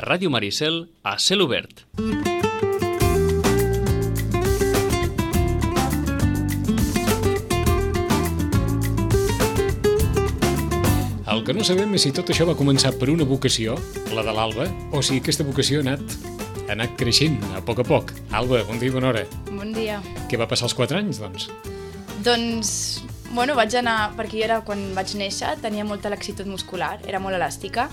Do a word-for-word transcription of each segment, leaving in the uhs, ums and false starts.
Ràdio Maricel, a cel obert. El que no sabem és si tot això va començar per una vocació, la de l'Alba, o si aquesta vocació ha anat, ha anat creixent a poc a poc. Alba, bon dia i bona hora. Bon dia. Què va passar als quatre anys, doncs? Doncs, bueno, vaig anar, perquè jo era, quan vaig néixer, tenia molta laxitud muscular, era molt elàstica.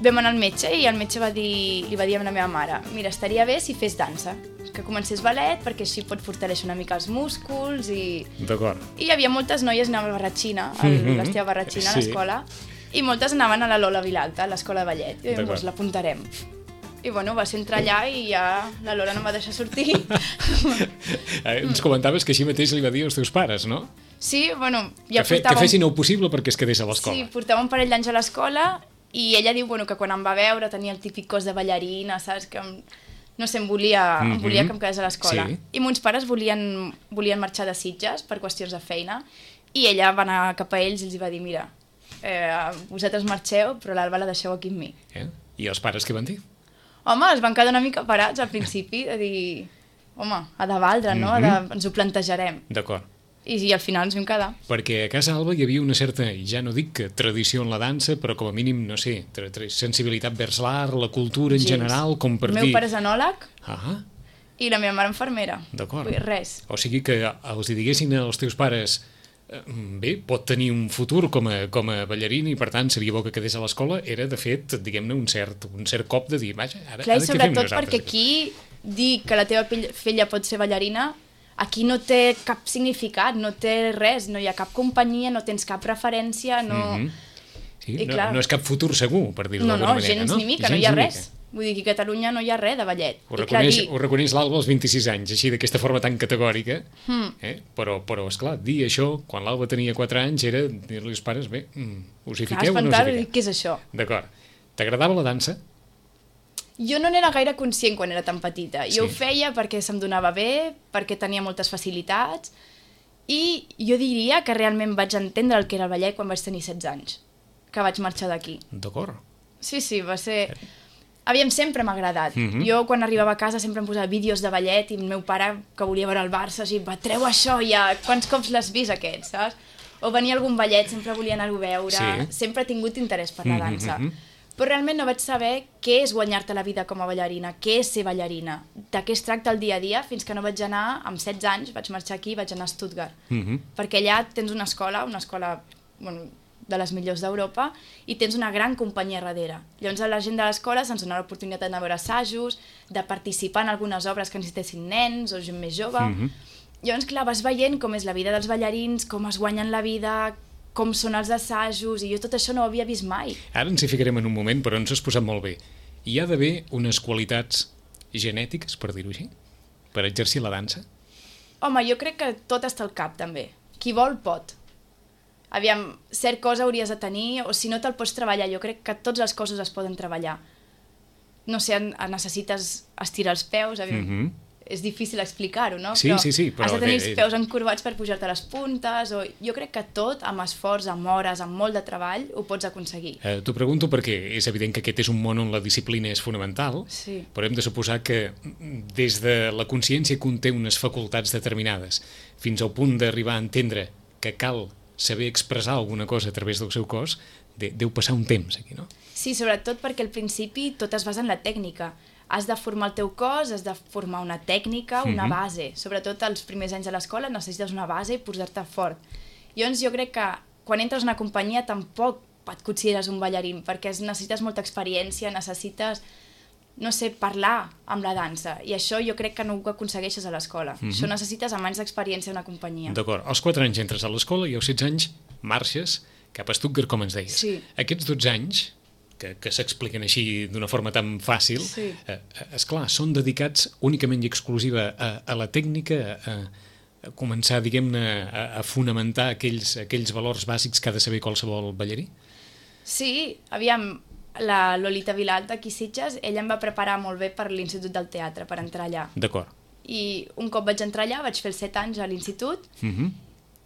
Vam anar al metge i el metge va dir, li va dir a la meva mare: mira, estaria bé si fes dansa, que comencés ballet, perquè així pot fortaleixer una mica els músculs i... D'acord. I hi havia moltes noies, anava a Barratxina, a l'Estia Barratxina, a l'escola, i moltes anaven a la Lola Vilalta, a l'escola de ballet, i doncs l'apuntarem. I bueno, va ser entrar allà i ja la Lola no em va deixar sortir. Ens comentaves que així mateix li va dir als teus pares, no? Sí, bueno... Ja que, fe, portàvem... que fessin el possible perquè es quedés a l'escola. Sí, portava un parell d'anys a l'escola i ella diu bueno, que quan em va veure tenia el típic cos de ballarina, saps? Que em, no sé, em volia, mm-hmm. em volia que em quedés a l'escola. Sí. I mons pares volien, volien marxar de Sitges per qüestions de feina i ella va anar cap a ells i els va dir: mira, eh, vosaltres marxeu, però l'Alba la deixeu aquí amb mi. Eh? I els pares què van dir? Home, es van quedar una mica parats al principi, de dir, home, ha de valdre, no? Mm-hmm. de, ens ho plantejarem. D'acord. I, I al final ens vam quedar. Perquè a casa Alba hi havia una certa, ja no dic que tradició en la dansa, però com a mínim, no sé, sensibilitat vers l'art, la cultura en Gens. general, com per dir... El meu pare és anòleg ah. i la meva mare infermera. D'acord. Res. O sigui que els diguessin als teus pares: bé, pot tenir un futur com a, com a ballarín i per tant seria bo que quedés a l'escola, era de fet, diguem-ne, un cert, un cert cop de dir, vaja, ara, Clar, ara què fem nosaltres? Perquè aquí dir que la teva filla pot ser ballarina, aquí no té cap significat, no té res, no hi ha cap companyia, no tens cap referència, no... Mm-hmm. Sí, I, no, clar, no és cap futur segur, per dir-ho no, d'alguna no, manera, gens no? ni mica, gens no hi ha ni res. Mica. Vull dir que a Catalunya no hi ha res de ballet. Ho reconeix, I, clar, dir... ho reconeix l'Alba als vint-i-sis anys, així d'aquesta forma tan categòrica, mm. eh? però, però esclar, dir això, quan l'Alba tenia quatre anys, era dir-li als pares: bé, mm, us hi fiqueu o no us hi fiqueu? Què és això? D'acord. T'agradava la dansa? Jo no n'era gaire conscient quan era tan petita. Jo Sí. ho feia perquè se'm donava bé, perquè tenia moltes facilitats, i jo diria que realment vaig entendre el que era el ballet quan vaig tenir setze anys, que vaig marxar d'aquí. D'acord. Sí, sí, va ser... Aviam, sempre m'ha agradat. Mm-hmm. Jo, quan arribava a casa, sempre em posava vídeos de ballet i el meu pare, que volia veure el Barça, o sigui, va, treu això ja, quants cops l'has vist aquest, saps? O venia algun ballet, sempre volia anar-ho a veure, Sí. sempre he tingut interès per la dansa. Mm-hmm. Però realment no vaig saber què és guanyar-te la vida com a ballarina, què és ser ballarina, de què es tracta el dia a dia, fins que no vaig anar, amb setze anys, vaig marxar aquí i vaig anar a Stuttgart. Mm-hmm. Perquè allà tens una escola, una escola bueno, de les millors d'Europa, i tens una gran companyia darrere. Llavors a la gent de l'escola se'ns donava l'oportunitat d'anar a veure assajos, de participar en algunes obres que necessitessin nens o gent més jove. Mm-hmm. Llavors, clar, vas veient com és la vida dels ballarins, com es guanyen la vida, com són els assajos, i jo tot això no ho havia vist mai. Ara ens hi ficarem en un moment, però ens has posat molt bé. Hi ha d'haver unes qualitats genètiques, per dir-ho així, per exercir la dansa? Home, jo crec que tot està al cap, també. Qui vol, pot. Aviam, cert cosa hauries de tenir, o si no te'l pots treballar, jo crec que tots els cossos es poden treballar. No sé, necessites estirar els peus, aviam, Mm-hmm. és difícil explicar-ho, no? Sí, però sí, sí, però has de tenir de- els peus encorbats per pujar-te les puntes, o jo crec que tot, amb esforç, amb hores, amb molt de treball, ho pots aconseguir. Eh, T'ho pregunto perquè és evident que aquest és un món on la disciplina és fonamental, Sí. però hem de suposar que des de la consciència conté unes facultats determinades, fins al punt d'arribar a entendre que cal saber expressar alguna cosa a través del seu cos, de, deu passar un temps aquí, no? Sí, sobretot perquè al principi tot es basa en la tècnica. Has de formar el teu cos, has de formar una tècnica, una Mhm. base. Sobretot els primers anys de l'escola necessites una base i posar-te fort. Llavors jo crec que quan entres en una companyia tampoc et consideres un ballarín, perquè necessites molta experiència, necessites, no sé, parlar amb la dansa. I això jo crec que no ho aconsegueixes a l'escola. Mhm. Això necessites amb anys d'experiència en una companyia. D'acord, als quatre anys entres a l'escola i als setze anys marxes cap a Stuttgart, com ens deies. Sí. Aquests dotze anys, que, que s'expliquen així d'una forma tan fàcil, Sí. eh, esclar, són dedicats únicament i exclusiva a, a la tècnica, a, a començar, diguem-ne, a, a fonamentar aquells, aquells valors bàsics que ha de saber qualsevol ballarí? Sí, aviam, la Lolita Vilalta, aquí a Sitges, ella em va preparar molt bé per l'Institut del Teatre, per entrar allà. D'acord. I un cop vaig entrar allà, vaig fer els set anys a l'institut, Mhm.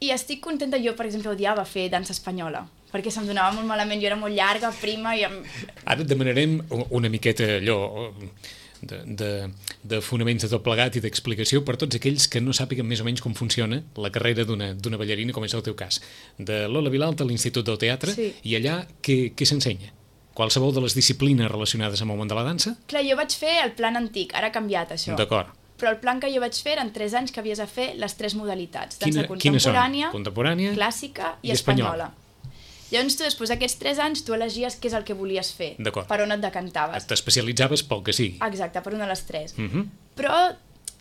i estic contenta. Jo, per exemple, odiava fer dansa espanyola, perquè se'm donava molt malament, jo era molt llarga, prima... I... Ara et demanarem una miqueta allò de, de, de fonaments de tot plegat i d'explicació per tots aquells que no sàpiguen més o menys com funciona la carrera d'una ballarina, com és el teu cas. De Lola Vilalta a l'Institut del Teatre, sí. I allà què, què s'ensenya? Qualsevol de les disciplines relacionades amb el món de la dansa? Clar, jo vaig fer el plan antic, ara ha canviat això. D'acord. Però el plan que jo vaig fer eren tres anys que havies de fer les tres modalitats. Dansa Quina, contemporània, contemporània, clàssica i, i espanyola. espanyola. Llavors tu, després d'aquests tres anys, tu elegies què és el que volies fer, per on et decantaves. T'especialitzaves pel que sigui. Exacte, per una de les tres. Uh -huh. Però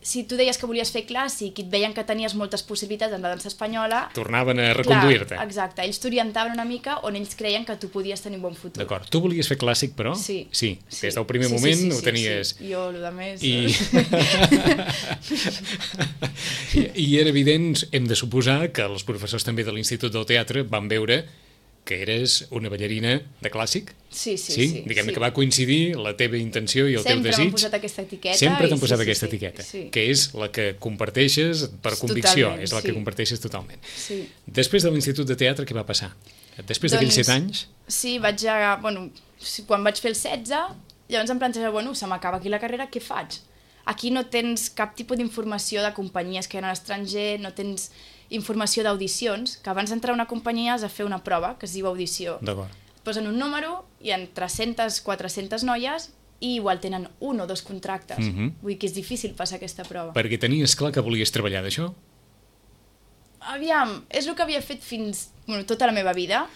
si tu deies que volies fer clàssic i et veien que tenies moltes possibilitats en la dansa espanyola... Tornaven a reconduir-te. Exacte, ells t'orientaven una mica on ells creien que tu podies tenir un bon futur. D'acord. Tu volies fer clàssic, però? Sí. Sí, sí. Des del primer sí, moment sí, sí, ho sí, tenies... Sí. Jo, el de més... I... I era evident, hem de suposar, que els professors també de l'Institut del Teatre van veure que eres una ballarina de clàssic? Sí, sí, sí. sí. Diguem-ne sí. que va coincidir la teva intenció i el Sempre teu desig. Sempre m'han posat aquesta etiqueta. Sempre t'han posat sí, aquesta sí, etiqueta, sí. que és la que comparteixes per convicció, totalment, és la sí. que comparteixes totalment. Sí. Després de l'Institut de Teatre, què va passar? Després d'aquells doncs, set anys? Sí, vaig a... Bueno, quan vaig fer el setze, llavors em plantejava, bueno, se m'acaba aquí la carrera, què faig? Aquí no tens cap tipus d'informació de companyies que hi ha a l'estranger, no tens informació d'audicions, que abans d'entrar a una companyia has de fer una prova, que es diu audició. D'acord. Posen un número, hi ha tres-centes, quatre-centes noies, i igual tenen un o dos contractes. Uh -huh. Vull dir que és difícil passar aquesta prova. Perquè tenies clar que volies treballar d'això? Aviam, és el que havia fet fins... Bueno, tota la meva vida.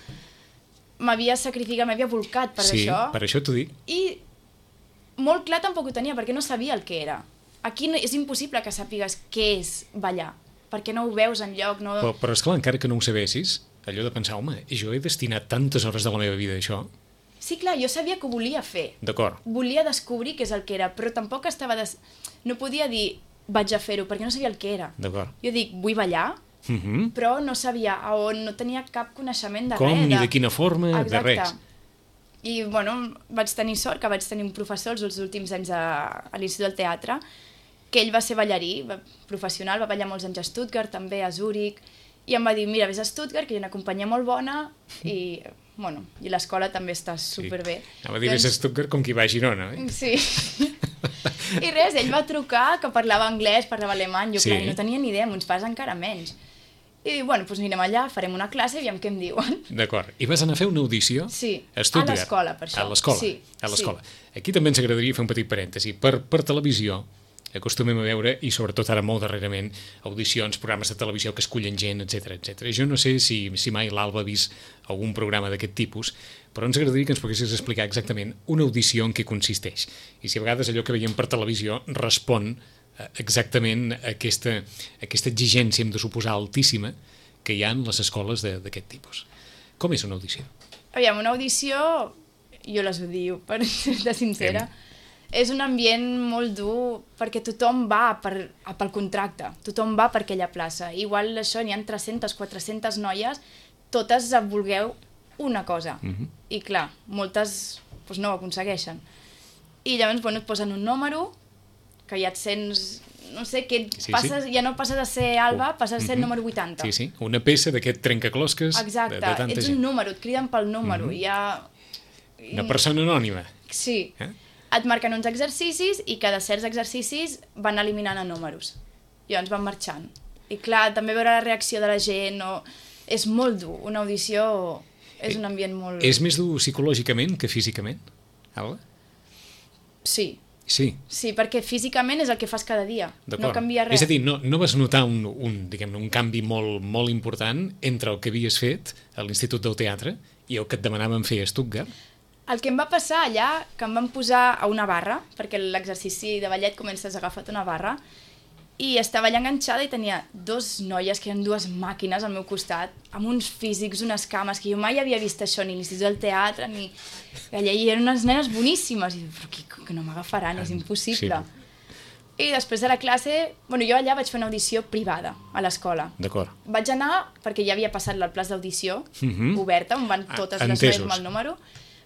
M'havia sacrificat, m'havia volcat per sí, això. Sí, per això t'ho dic. I molt clar tampoc ho tenia, perquè no sabia el que era. Aquí no, és impossible que sàpigues què és ballar, perquè no ho veus enlloc. No... Però, però esclar, encara que no ho sabessis, allò de pensar, home, jo he destinat tantes hores de la meva vida a això. Sí, clar, jo sabia que ho volia fer. D'acord. Volia descobrir què és el que era, però tampoc estava... Des... No podia dir, vaig a fer-ho, perquè no sabia el que era. D'acord. Jo dic, vull ballar, uh -huh. però no sabia a on, no tenia cap coneixement de Com, res. ni de quina forma, Exacte. de res. I, bueno, vaig tenir sort que vaig tenir un professor els últims anys a, a l'Institut del Teatre, que ell va ser ballarí va, professional, va ballar molts anys a Stuttgart, també a Zúrich, i em va dir, mira, vés a Stuttgart, que hi ha una companyia molt bona, i, bueno, i l'escola també està superbé. Sí. Anava a dir, vés a Stuttgart com qui va a Girona, eh? Sí. I res, ell va trucar, que parlava anglès, parlava alemany, jo, sí. clar, no tenia ni idea, amb uns pares encara menys. I diu, bueno, doncs anirem allà, farem una classe i aviam què em diuen. D'acord. I vas anar a fer una audició? Sí, a Stuttgart. A l'escola, per això. A l'escola, sí, a l'escola. Sí. Aquí també ens agradaria fer un petit parèntesi. Per, per televisió acostumem a veure, i sobretot ara molt darrerament, audicions, programes de televisió que escullen gent, etcètera, etcètera. Jo no sé si, si mai l'Alba ha vist algun programa d'aquest tipus, però ens agradaria que ens poguessis explicar exactament una audició en què consisteix. I si a vegades allò que veiem per televisió respon exactament a aquesta, aquesta exigència, hem de suposar, altíssima, que hi ha en les escoles d'aquest tipus. Com és una audició? Aviam, una audició, jo les odio, per ser sincera, Hem... és un ambient molt dur perquè tothom va per, pel contracte, tothom va per aquella plaça. Igual això, n'hi ha tres-centes, quatre-centes noies, totes vulgueu una cosa. Uh -huh. I clar, moltes doncs, no ho aconsegueixen. I llavors, bueno, et posen un número, que ja et sents... no sé, que sí, passes, sí. ja no passes a ser Alba, uh, passes a ser uh -huh. el número vuitanta. Sí, sí, una peça d'aquest trencaclosques. Exacte, de, de tanta ets gent. un número, et criden pel número, uh -huh. i ja... Una persona anònima. Sí, eh? Et marquen uns exercicis i cada certs exercicis van eliminant a números. Llavors van marxant. I clar, també veure la reacció de la gent, no... és molt dur, una audició és un ambient molt... És més dur psicològicament que físicament, Alba? Sí. Sí. Sí, perquè físicament és el que fas cada dia, no canvia res. És a dir, no, no vas notar un, un, diguem-ne, un canvi molt, molt important entre el que havies fet a l'Institut del Teatre i el que et demanaven fer a Stuttgart? El que em va passar allà, que em van posar a una barra, perquè l'exercici de ballet comences agafat una barra, i estava allà enganxada i tenia dos noies, que eren dues màquines al meu costat, amb uns físics, unes cames, que jo mai havia vist això, ni a l'Institut del Teatre, ni... Allà hi eren unes nenes boníssimes, i dic, però que, que no m'agafaran, és impossible. Sí. I després de la classe, bueno, jo allà vaig fer una audició privada, a l'escola. D'acord. Vaig anar, perquè ja havia passat el plaç d'audició, uh-huh. oberta, on van totes ah, les noies amb el número.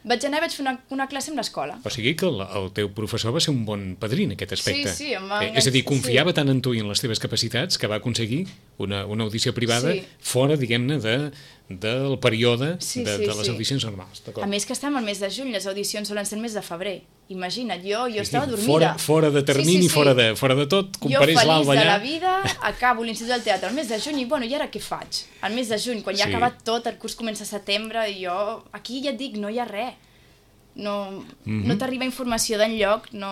Vaig anar i vaig fer una, una classe amb l'escola. O sigui que el, el teu professor va ser un bon padrí en aquest aspecte. Sí, sí, em va... Eh, és a dir, confiava sí. tant en tu i en les teves capacitats que va aconseguir una, una audició privada sí. fora, diguem-ne, de, del període sí, de, sí, de les sí. audicions normals. A més que estem al mes de juny, les audicions solen ser el mes de febrer. Imagina't, jo, jo Sí, estava sí, dormida. Fora, fora de termini, sí, sí, sí. Fora, de, fora de tot, compareix l'Alba allà. Jo feliç de la vida, acabo l'Institut del Teatre al mes de juny i, bueno, i ara què faig? Al mes de juny, quan ja sí. ha acabat tot, el curs comença a setembre, i jo, aquí ja et dic, no hi ha res. No, mm-hmm. no t'arriba informació d'enlloc, no...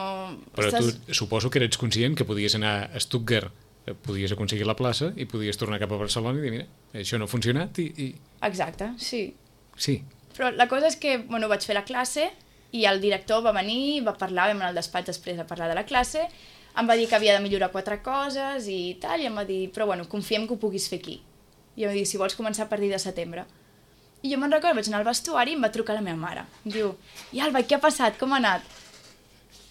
Però Estàs... tu suposo que eres conscient que podies anar a Stuttgart, podies aconseguir la plaça i podies tornar cap a Barcelona i dir, mira, això no ha funcionat i... i... Exacte, sí. Sí. Però la cosa és que, bueno, vaig fer la classe i el director va venir, va parlar, vam anar al despatx després a parlar de la classe, em va dir que havia de millorar quatre coses i tal, i em va dir, però bueno, confiem que ho puguis fer aquí. I em va dir, si vols començar a partir de setembre. I jo me'n recordo, vaig anar al vestuari i em va trucar la meva mare. Em diu, i Alba, què ha passat? Com ha anat?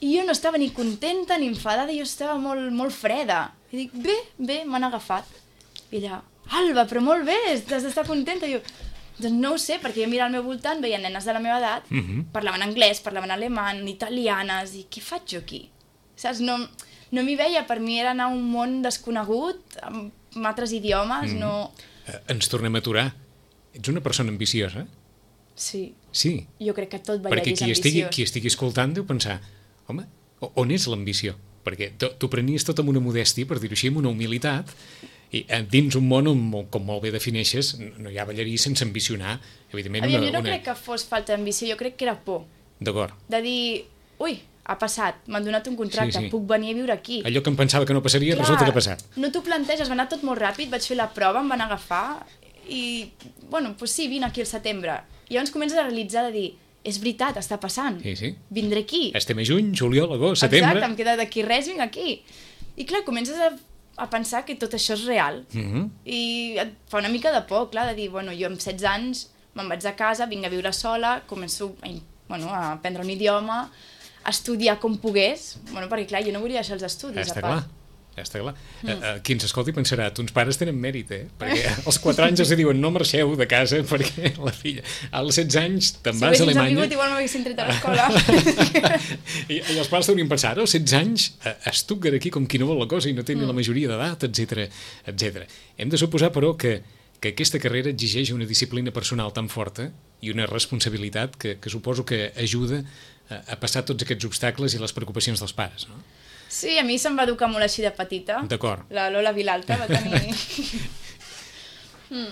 I jo no estava ni contenta ni enfadada, jo estava molt, molt freda. I dic, bé, bé, m'han agafat. I ella, Alba, però molt bé, has d'estar contenta. I jo, doncs no ho sé, perquè jo mirava al meu voltant, veia nenes de la meva edat, mm-hmm. parlaven anglès, parlaven alemany, italianes, i què faig jo aquí? Saps? No, no m'hi veia, per mi era anar a un món desconegut, amb altres idiomes, mm. no... Eh, ens tornem a aturar. Ets una persona ambiciosa? Sí. Sí. Jo crec que tot ballarí Perquè és qui ambiciós. estigui, qui estigui escoltant deu pensar, home, on és l'ambició? Perquè tu prenies tot amb una modèstia, per dir-ho així, amb una humilitat, i dins un món on, com molt bé defineixes, no hi ha ballarí sense ambicionar, evidentment. Aviam, una, jo no una... crec que fos falta d'ambició, jo crec que era por. D'acord. De dir, ui, ha passat, m'han donat un contracte, sí, sí. puc venir a viure aquí. Allò que em pensava que no passaria, Clar, resulta que ha passat. No t'ho planteges, va anar tot molt ràpid, vaig fer la prova, em van agafar, i, bueno, doncs sí, vine aquí al setembre. I llavors comences a realitzar de dir, és veritat, està passant, sí, sí. vindré aquí. Estem a juny, juliol, agost, setembre... Exacte, em queda d'aquí res, vinc aquí. I clar, comences a, a pensar que tot això és real. Mm-hmm. I et fa una mica de por, clar, de dir, bueno, jo amb setze anys me'n vaig de casa, vinc a viure sola, començo a, bueno, a aprendre un idioma, a estudiar com pogués, bueno, perquè clar, jo no volia deixar els estudis, ja a part. Clar. Ja està clar. Mm. Uh, qui ens escolti pensarà, tons pares tenen mèrit, eh? Perquè als quatre anys els diuen no marxeu de casa perquè la filla... Als setze anys te'n si vas a Alemanya... Si haguessin igual m'haguessin tret a l'escola. I, I els pares deurien pensar, als setze anys a, a Stuttgart aquí com qui no vol la cosa i no té ni mm. la majoria d'edat, etcètera, etcètera. Hem de suposar, però, que, que aquesta carrera exigeix una disciplina personal tan forta i una responsabilitat que, que suposo que ajuda a, a passar tots aquests obstacles i les preocupacions dels pares, no? Sí, a mi se'm va educar molt així de petita. D'acord. La Lola Vilalta va tenir... mm.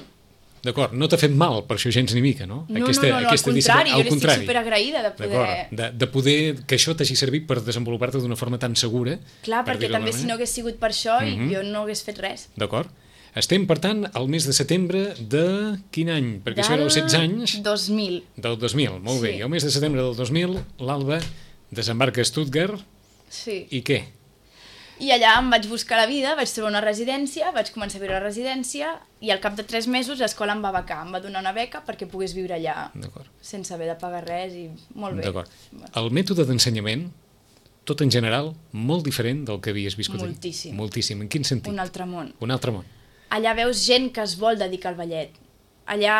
D'acord, no t'ha fet mal per això gens ni mica, no? No, aquesta, no, no, no, al contrari, jo estic superagraïda de poder... De, de poder que això t'hagi servit per desenvolupar-te d'una forma tan segura. Clar, per perquè també si no hagués sigut per això mm-hmm. jo no hagués fet res. D'acord. Estem, per tant, al mes de setembre de quin any? Perquè del això era els setze anys... dos mil. Del dos mil, molt sí. bé. I al mes de setembre del dos mil, l'Alba desembarca a Stuttgart. Sí. I què? I allà em vaig buscar la vida, vaig trobar una residència, vaig començar a viure a la residència i al cap de tres mesos l'escola em va becar, em va donar una beca perquè pogués viure allà sense haver de pagar res i molt bé. D'acord. El mètode d'ensenyament, tot en general, molt diferent del que havies viscut allà. Moltíssim. Moltíssim. En quin sentit? Un altre món. Un altre món. Allà veus gent que es vol dedicar al ballet. Allà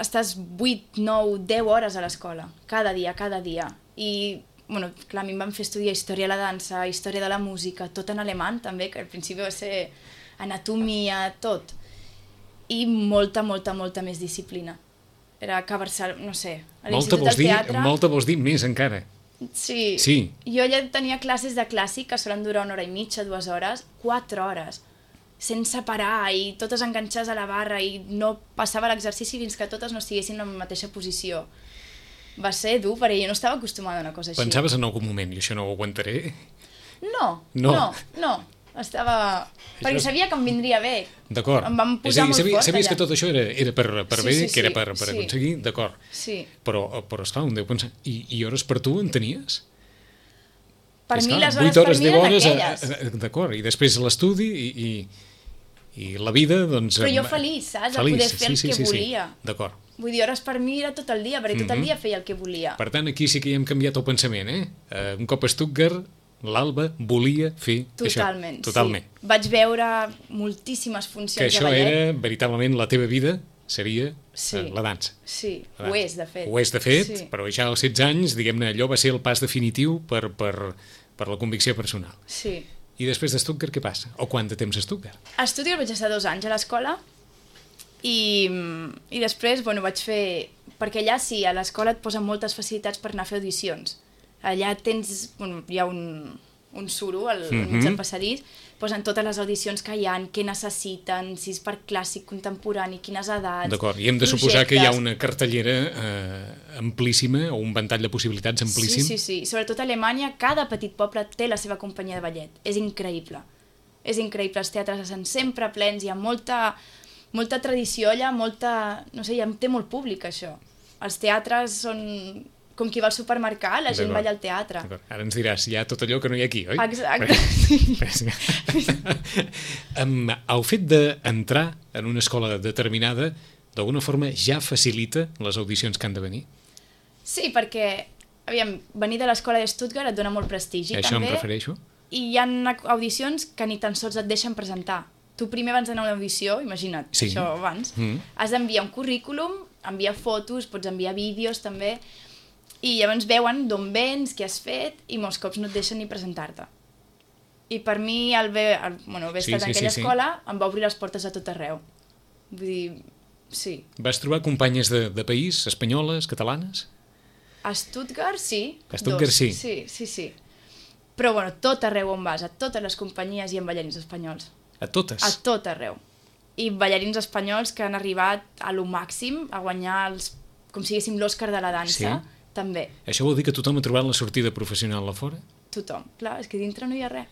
estàs vuit, nou, deu hores a l'escola, cada dia, cada dia. I bueno, clar, a mi em van fer estudiar història de la dansa, història de la música, tot en alemany també, que al principi va ser anatomia, tot. I molta, molta, molta més disciplina. Era que a Barcelona, no sé, a l'Institut del Teatre... Molta vols dir més encara. Sí. sí. Jo allà tenia classes de clàssic que solen durar una hora i mitja, dues hores, quatre hores, sense parar i totes enganxades a la barra i no passava l'exercici fins que totes no estiguessin en la mateixa posició. Va ser dur, perquè jo no estava acostumada a una cosa així. Pensaves en algun moment, i això no ho aguantaré? No, no, no, no. Estava... Això... Perquè sabia que em vindria bé. D'acord. Em vam posar dir, molt sabies, fort sabies allà. que tot això era, era per, per sí, bé, sí, que era per, per sí. aconseguir? D'acord. Sí. Però, però esclar, un deu pensar... I, i hores per tu en tenies? Per és mi clar, les hores per mi eren aquelles. D'acord, i després l'estudi i, i, i la vida, doncs... Però jo feliç, saps? Feliç, de poder fer sí, el sí, que sí, volia. Sí. D'acord. Vull dir, hores per mi era tot el dia, perquè tot el dia feia el que volia. Per tant, aquí sí que hi hem canviat el pensament, eh? Uh, un cop a Stuttgart, l'Alba volia fer Totalment, això. Totalment, sí. Vaig veure moltíssimes funcions de ballet. Que això era, veritablement, la teva vida seria sí. uh, la dansa. Sí, la dansa. ho és, de fet. Ho és, de fet, sí. Però ja als setze anys, diguem-ne, allò va ser el pas definitiu per, per, per la convicció personal. Sí. I després de Stuttgart, què passa? O quant de temps a Stuttgart? A Stuttgart vaig estar dos anys a l'escola I, i després, bueno, vaig fer... Perquè allà sí, a l'escola et posen moltes facilitats per anar a fer audicions. Allà tens... Bueno, hi ha un, un suro al mm-hmm. mig del passadís, posen totes les audicions que hi ha, què necessiten, si és per clàssic, contemporani, quines edats... D'acord, i hem de suposar que hi ha una cartellera eh, amplíssima, o un ventall de possibilitats amplíssim. Sí, sí, sí. Sobretot a Alemanya, cada petit poble té la seva companyia de ballet. És increïble. És increïble. Els teatres estan sempre plens, hi ha molta, molta tradició allà, molta... No sé, ja té molt públic, això. Els teatres són... Com qui va al supermercat, la gent balla al teatre. Ara ens diràs, hi ha tot allò que no hi ha aquí, oi? Exacte. Sí. um, el fet d'entrar en una escola determinada, d'alguna forma, ja facilita les audicions que han de venir? Sí, perquè, aviam, venir de l'escola de Stuttgart et dona molt prestigi, Això també. Això em refereixo. I hi ha audicions que ni tan sols et deixen presentar. Tu primer abans d'anar a una audició, imagina't, sí. això abans, mm. has d'enviar un currículum, enviar fotos, pots enviar vídeos també, i llavors veuen d'on vens, què has fet, i molts cops no et deixen ni presentar-te. I per mi, el haver, el, bueno, haver sí, estat sí, en aquella sí, escola, sí. em va obrir les portes a tot arreu. Vull dir, sí. Vas trobar companyes de, de país, espanyoles, catalanes? A Stuttgart, sí. A Stuttgart, dos. sí. Sí, sí, sí. Però, bueno, tot arreu on vas, a totes les companyies hi ha ballarins espanyols. A totes? A tot arreu. I ballarins espanyols que han arribat a lo màxim, a guanyar els, com si diguéssim l'Òscar de la dansa, sí. També. Això vol dir que tothom ha trobat la sortida professional a fora? Tothom. Clar, és que dintre no hi ha res.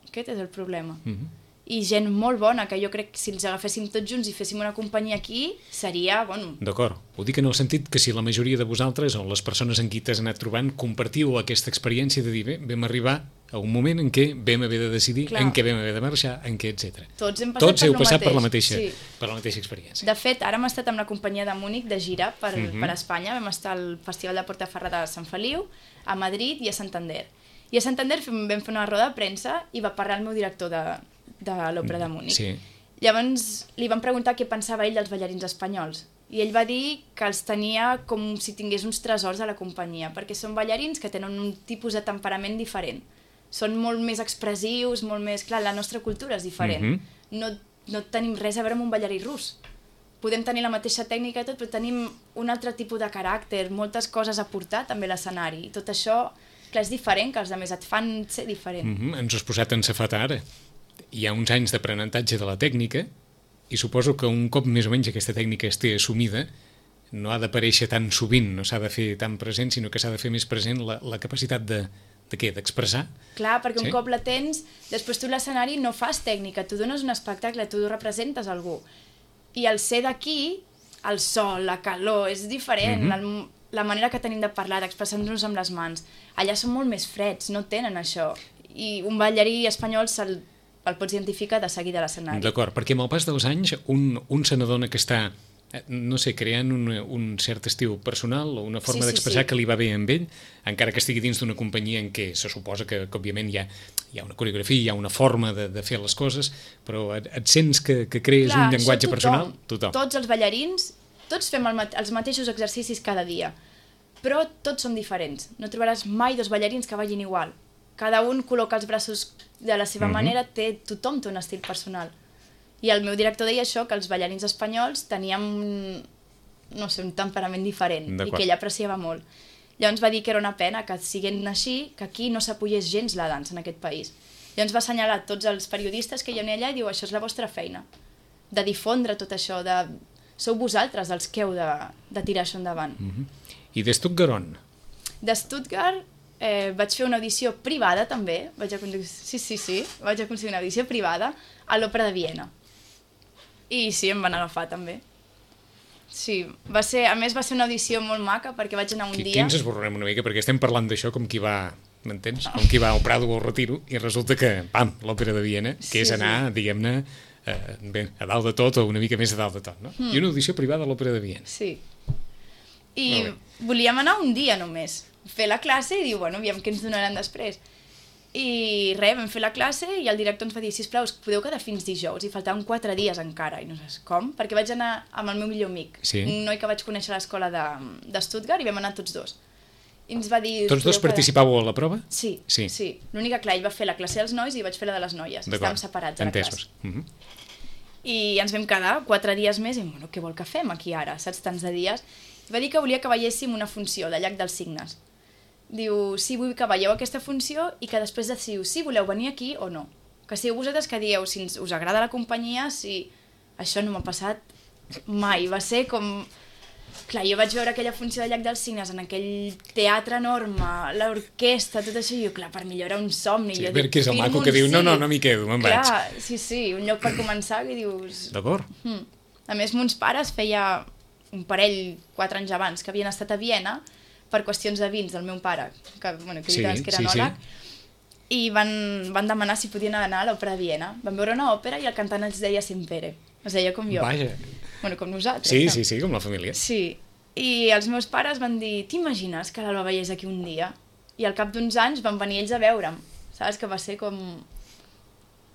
Aquest és el problema. Mm-hmm. I gent molt bona, que jo crec que si els agaféssim tots junts i féssim una companyia aquí, seria, bueno... D'acord. Ho dic en el sentit que si la majoria de vosaltres, o les persones en qui t'has anat trobant, compartiu aquesta experiència de dir, bé, vam arribar a un moment en què vam haver de decidir, Clar. en què vam haver de marxar, en què, etcètera. Tots hem passat, Tots heu per, passat per, la mateix. mateixa, Sí. per la mateixa experiència. De fet, ara hem estat amb la companyia de Múnich de gira per, mm-hmm. per Espanya. Vam estar al Festival de Portaferrada de Sant Feliu, a Madrid i a Santander. I a Santander vam fer una roda de premsa i va parlar el meu director de, de l'Òpera de Múnich. Sí. Llavors li van preguntar què pensava ell dels ballarins espanyols. I ell va dir que els tenia com si tingués uns tresors a la companyia, perquè són ballarins que tenen un tipus de temperament diferent. Són molt més expressius, molt més... Clar, la nostra cultura és diferent. Mm-hmm. No, no tenim res a veure amb un ballarí rus. Podem tenir la mateixa tècnica i tot, però tenim un altre tipus de caràcter, moltes coses a portar també a l'escenari. I tot això, clar, és diferent, que els altres et fan ser diferent. Mm-hmm. Ens ho has posat en safata ara. Hi ha uns anys d'aprenentatge de la tècnica i suposo que un cop més o menys aquesta tècnica esté assumida, no ha d'aparèixer tan sovint, no s'ha de fer tan present, sinó que s'ha de fer més present la, la capacitat de... de què? D'expressar? Clar, perquè sí? un cop la tens, després tu l'escenari no fas tècnica, tu dones un espectacle, tu representes algú. I el ser d'aquí, el sol, la calor, és diferent, mm-hmm. el, la manera que tenim de parlar, d'expressar-nos amb les mans. Allà són molt més freds, no tenen això. I un ballarí espanyol se'l el pots identificar de seguida a l'escenari. D'acord, perquè amb el pas dels anys un, un se n'adona que està, no sé, creant un, un cert estil personal o una forma sí, sí, d'expressar sí. que li va bé amb ell, encara que estigui dins d'una companyia en què se suposa que, que òbviament hi ha, hi ha una coreografia, hi ha una forma de, de fer les coses, però et, et sents que, que crees Clar, un llenguatge tothom, personal? Tothom. Tots els ballarins, tots fem el, els mateixos exercicis cada dia, però tots són diferents. No trobaràs mai dos ballarins que vagin igual. Cada un col·loca els braços de la seva mm-hmm. manera, té, tothom té un estil personal. I el meu director deia això, que els ballarins espanyols teníem no sé, un temperament diferent i que ell apreciava molt. Llavors va dir que era una pena que siguent així, que aquí no s'apoyés gens la dansa en aquest país. Llavors va assenyalar tots els periodistes que hi havia allà i diu, això és la vostra feina, de difondre tot això, de... sou vosaltres els que heu de, de tirar això endavant. Mm-hmm. I de Stuttgart on? De Stuttgart eh, vaig fer una audició privada també, vaig aconseguir, sí, sí, sí, vaig aconseguir una audició privada a l'Òpera de Viena. I sí, em van agafar també. Sí, va ser, a més va ser una audició molt maca perquè vaig anar un Aquí, dia... Aquí ens esborrem una mica perquè estem parlant d'això com qui va, m'entens? Com qui va al Prado o al Retiro i resulta que, pam, l'Òpera de Viena, que sí, és anar, sí. diguem-ne, eh, bé, a dalt de tot o una mica més a dalt de tot, no? Mm. I una audició privada a l'Òpera de Viena. Sí. I volíem anar un dia només, fer la classe i dir, bueno, aviam què ens donaran després. I res, vam fer la classe i el director ens va dir, sisplau, us podeu quedar fins dijous, i faltaven quatre dies encara, i no saps com, perquè vaig anar amb el meu millor amic, sí. un noi que vaig conèixer a l'escola de, de Stuttgart, i vam anar tots dos. I ens va dir... Tots dos participàveu a la prova? Sí, sí. sí. L'única, clar, ell va fer la classe dels nois i vaig fer la de les noies, estàvem separats a la classe. Uh-huh. i ens vam quedar quatre dies més i, bueno, què vol que fem aquí ara, saps, tants de dies? I va dir que volia que veiéssim una funció de Llac dels Cignes. Diu, sí, vull que veieu aquesta funció i que després decidiu si voleu venir aquí o no. Que sigueu vosaltres que dieu si us agrada la companyia, si... Això no m'ha passat mai, va ser com... Clar, jo vaig veure aquella funció de Llac dels Cignes en aquell teatre enorme, l'orquestra, tot això, i jo, clar, per mi allò era un somni. Sí, per què és el maco que diu, no, no, no m'hi quedo, me'n vaig. Clar, sí, sí, un lloc per començar que dius... D'acord. Hmm. A més, mons pares feia un parell, quatre anys abans, que havien estat a Viena per qüestions de vins del meu pare, que, bueno, que, sí, que era enòleg, sí, sí. I van, van demanar si podien anar a l'òpera de Viena. Van veure una òpera i el cantant es deia Sempere. Es deia com jo. Vaja. Bueno, com nosaltres. Sí, no? sí, sí, com la família. Sí. I els meus pares van dir, t'imagines que l'Alba veiés aquí un dia? I al cap d'uns anys van venir ells a veure'm. Saps? Que va ser com...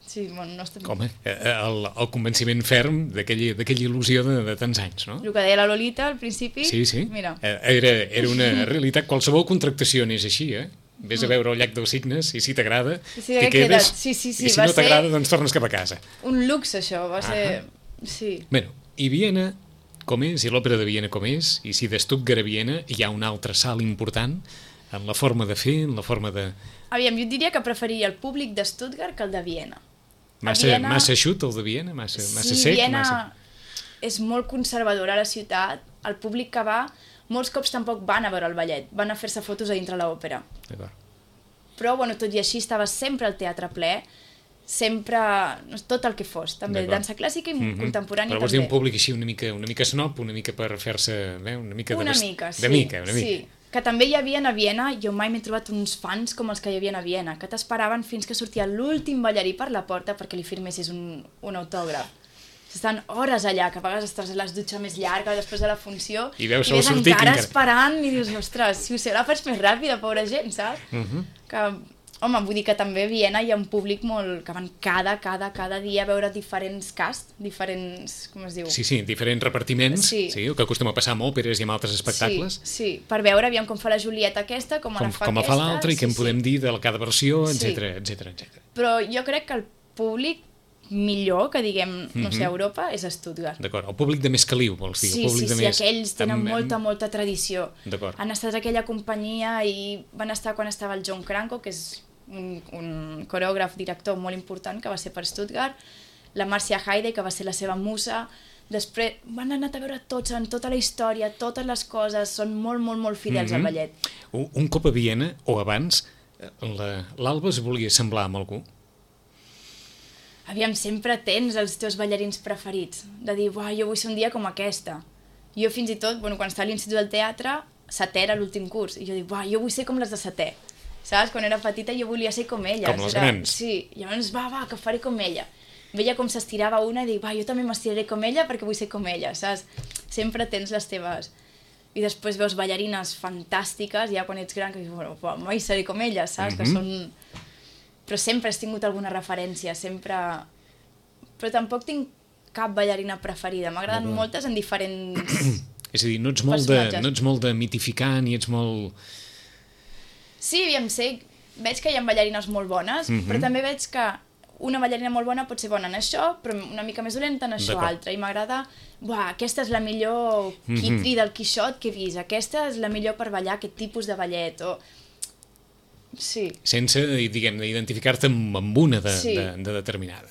Sí, bueno, no estem... Home, el, el convenciment ferm d'aquella il·lusió de, de tants anys, no? El que deia la Lolita al principi... Sí, sí. Mira. Era, era una realitat. Qualsevol contractació n'és així, eh? Vés a veure el Llac dels Cignes i si t'agrada, sí, t'hi quedes, sí, sí, sí, i si no t'agrada, doncs tornes cap a casa. Un luxe, això, va ser... Ah, sí. Bueno, i Viena com és, i l'òpera de Viena com és, i si de Stuttgart a Viena hi ha un altre salt important en la forma de fer, en la forma de... Aviam, jo diria que preferiria el públic de Stuttgart que el de Viena. Massa, Viena... massa eixut, el de Viena? Massa, sí, massa sec? Viena massa... és molt conservadora a la ciutat. El públic que va, molts cops tampoc van a veure el ballet, van a fer-se fotos a dintre l'òpera. D'acord. Però, bueno, tot i així, estava sempre al teatre ple, sempre, tot el que fos, també, dansa clàssica i mm-hmm. contemporània també. Però vols dir un públic així una mica, una mica snob, una mica per fer-se... Eh, una mica una de... mica, sí. De mica, una mica. Sí. Que també hi havia a Viena, jo mai m'he trobat uns fans com els que hi havia a Viena, que t'esperaven fins que sortia l'últim ballarí per la porta perquè li firmessis un, un autògraf. Estan hores allà, que a vegades estàs a les dutxes més llargues després de la funció i veus, i ves sortir encara encara esperant i dius, ostres, si ho sé, la faig més ràpida, pobra gent, saps? Uh-huh. Que, home, vull dir que també a Viena hi ha un públic molt... que van cada, cada, cada dia a veure diferents casts, diferents... com es diu? Sí, sí, diferents repartiments, sí. Sí, el que acostuma a passar amb òperes i amb altres espectacles. Sí, sí, per veure, aviam com fa la Julieta aquesta, com, com la fa com aquesta... Com fa l'altra i sí, què en sí. podem dir de cada versió, sí. etcètera, etcètera, etcètera. Però jo crec que el públic millor, que diguem, no mm-hmm. sé, a Europa, és a Stuttgart. D'acord, el públic de més caliu, vols dir? Sí, el públic sí, de sí, més... aquells tenen amb... molta, molta tradició. D'acord. Han estat a aquella companyia i van estar quan estava el John Cranko, que és un, un coreògraf, director molt important, que va ser per Stuttgart, la Marcia Haide, que va ser la seva musa. Després van anar a veure tots, en tota la història, totes les coses, són molt, molt, molt fidels mm-hmm. al ballet. Un, un cop a Viena, o abans, l'Alba es volia semblar amb algú? Aviam, sempre tens els teus ballarins preferits, de dir, uah, jo vull ser un dia com aquesta. Jo fins i tot, bueno, quan estava a l'Institut del Teatre, setè era l'últim curs, i jo dic, uah, jo vull ser com les de setè. Saps? Quan era petita jo volia ser com elles. Com les era... grans. Sí, llavors, va, va, que faré com ella. Veia com s'estirava una i dic, va, jo també m'estiraré com ella perquè vull ser com ella, saps? Sempre tens les teves... I després veus ballarines fantàstiques, ja quan ets gran, que dius, bueno, mai seré com ella, saps? Mm-hmm. Que són... Però sempre has tingut alguna referència, sempre... Però tampoc tinc cap ballarina preferida. M'agraden no, moltes en diferents És a dir, no ets, molt de, no ets molt de mitificar, ni ets molt... Sí, aviam, sé, veig que hi ha ballarines molt bones, mm-hmm. però també veig que una ballarina molt bona pot ser bona en això, però una mica més dolenta en això altre. I m'agrada, buah, aquesta és la millor Kitri mm-hmm. del Quixot que he vist, aquesta és la millor per ballar aquest tipus de ballet, o... Sí. Sense, diguem, identificar-te amb, amb una de, sí. de, de determinada.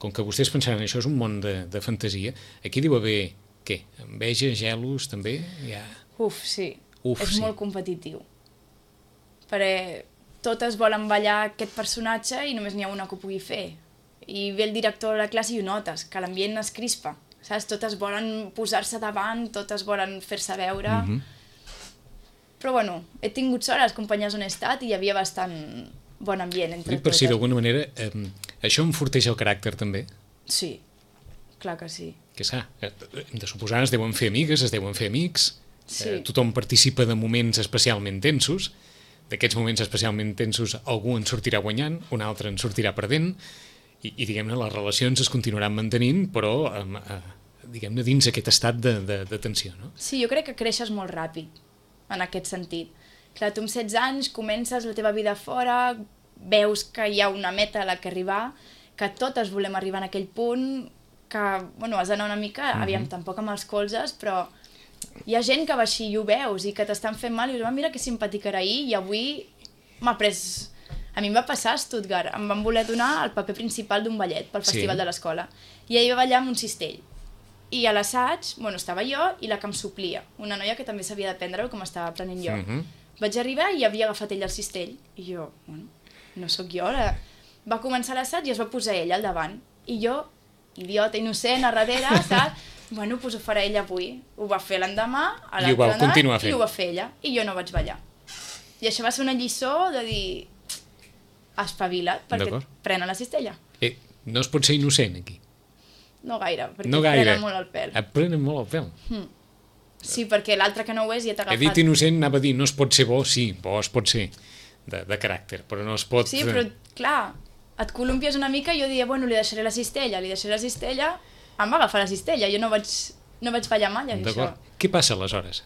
Com que vostès pensaran això és un món de, de fantasia, aquí diu haver, què? Enveja, gelos, també? Ja... Uf, sí. Uf, és sí. molt competitiu. Perquè totes volen ballar aquest personatge i només n'hi ha una que ho pugui fer. I ve el director de la classe i ho notes, que l'ambient es crispa. Saps? Totes volen posar-se davant, totes volen fer-se veure... Mm-hmm. Però bueno, he tingut sort a les companyies on he estat i hi havia bastant bon ambient entre totes. Per si d'alguna manera eh, això enforteix el caràcter també? Sí, clar que sí. Que s'ha, hem de suposar, es deuen fer amigues, es deuen fer amics, sí. eh, tothom participa de moments especialment tensos, d'aquests moments especialment tensos algú en sortirà guanyant, un altre en sortirà perdent, i, i diguem-ne, les relacions es continuaran mantenint, però eh, eh, diguem-ne dins aquest estat de, de, de tensió, no? Sí, jo crec que creixes molt ràpid en aquest sentit. Clar, tu amb setze anys comences la teva vida fora, veus que hi ha una meta a la que arribar, que totes volem arribar en aquell punt, que bueno, has d'anar una mica, mm-hmm. aviam, tampoc amb els colzes, però hi ha gent que va així i ho veus i que t'estan fent mal i dius, ah, mira que simpàtic era ahir i avui m'ha pres... A mi em va passar a Stuttgart, em van voler donar el paper principal d'un ballet pel festival sí. de l'escola i ell va ballar amb un cistell i a l'assaig, bueno, estava jo i la que em suplia, una noia que també sabia de prendre-ho com estava aprenent jo. Mm-hmm. Vaig arribar i havia agafat ell el cistell i jo, bueno, no sóc jo ara. Va començar l'assaig i es va posar ell al davant i jo, idiota, innocent, a darrere, saps? Bueno, doncs ho farà ella avui. Ho va fer l'endemà, a l'altre anat, i ho va fer ella. I jo no vaig ballar. I això va ser una lliçó de dir... espavila't, perquè et prenen la cistella. Eh, no es pot ser innocent, aquí? No gaire, perquè no et gaire. prenen molt el pèl. Et prenen molt el pèl? Hmm. Sí, perquè l'altre que no ho és ja t'ha agafat... He dit innocent, anava a dir, no es pot ser bo, sí, bo es pot ser, de, de caràcter, però no es pot... Sí, però, clar, et columpies una mica i jo dia, bueno, li deixaré la cistella, li deixaré la cistella, em va agafar la cistella, jo no vaig, no vaig ballar mai, això. Què passa aleshores?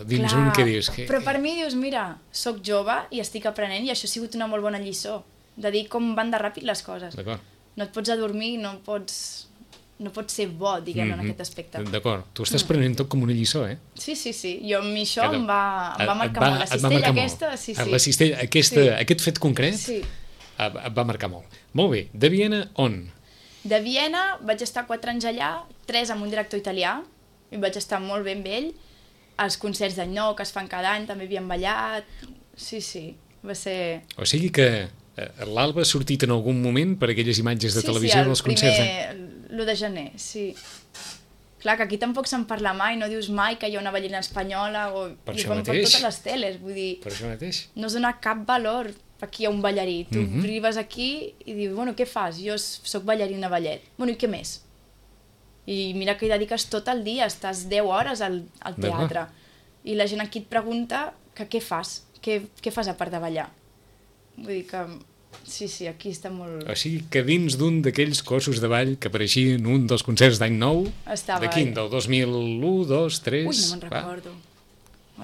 Dins clar, un que dius... Que... Però per mi dius, mira, sóc jove i estic aprenent i això ha sigut una molt bona lliçó, de dir com van de ràpid les coses. No et pots adormir, no pots, no pots ser bo, diguem, mm-hmm. en aquest aspecte. D'acord, tu estàs mm. prenent tot com una lliçó, eh? Sí, sí, sí, jo amb mi això em va, em va marcar va, molt. La cistella aquesta, molt. sí, sí. La cistella, aquesta, sí. Aquest fet concret sí. et va marcar molt. Molt bé, de Viena, on? De Viena vaig estar quatre anys allà, tres amb un director italià, i vaig estar molt ben amb ell. Els concerts d'any nou que es fan cada any també havíem ballat, sí, sí, va ser... O sigui que l'Alba ha sortit en algun moment per aquelles imatges de sí, televisió sí, dels concerts. Sí, sí, l'u de gener, sí. Clar, que aquí tampoc se'n parla mai, no dius mai que hi ha una ballarina espanyola o... Per I això mateix. Per totes les teles, vull dir... Per això mateix. No es dona cap valor aquí a un ballarí. Tu mm-hmm. arribes aquí i dius, bueno, què fas? Jo soc ballarina ballet. Bueno, i què més? I mira que hi dediques tot el dia, estàs deu hores al, al teatre. I la gent aquí et pregunta que què fas? Què, què fas a part de ballar? Vull dir que... Sí, sí, aquí està molt... O sigui que dins d'un d'aquells cossos de ball que apareixien en un dels concerts d'any nou, estava de quin? Del dos mil u, dos, tres... Ui, no me'n recordo.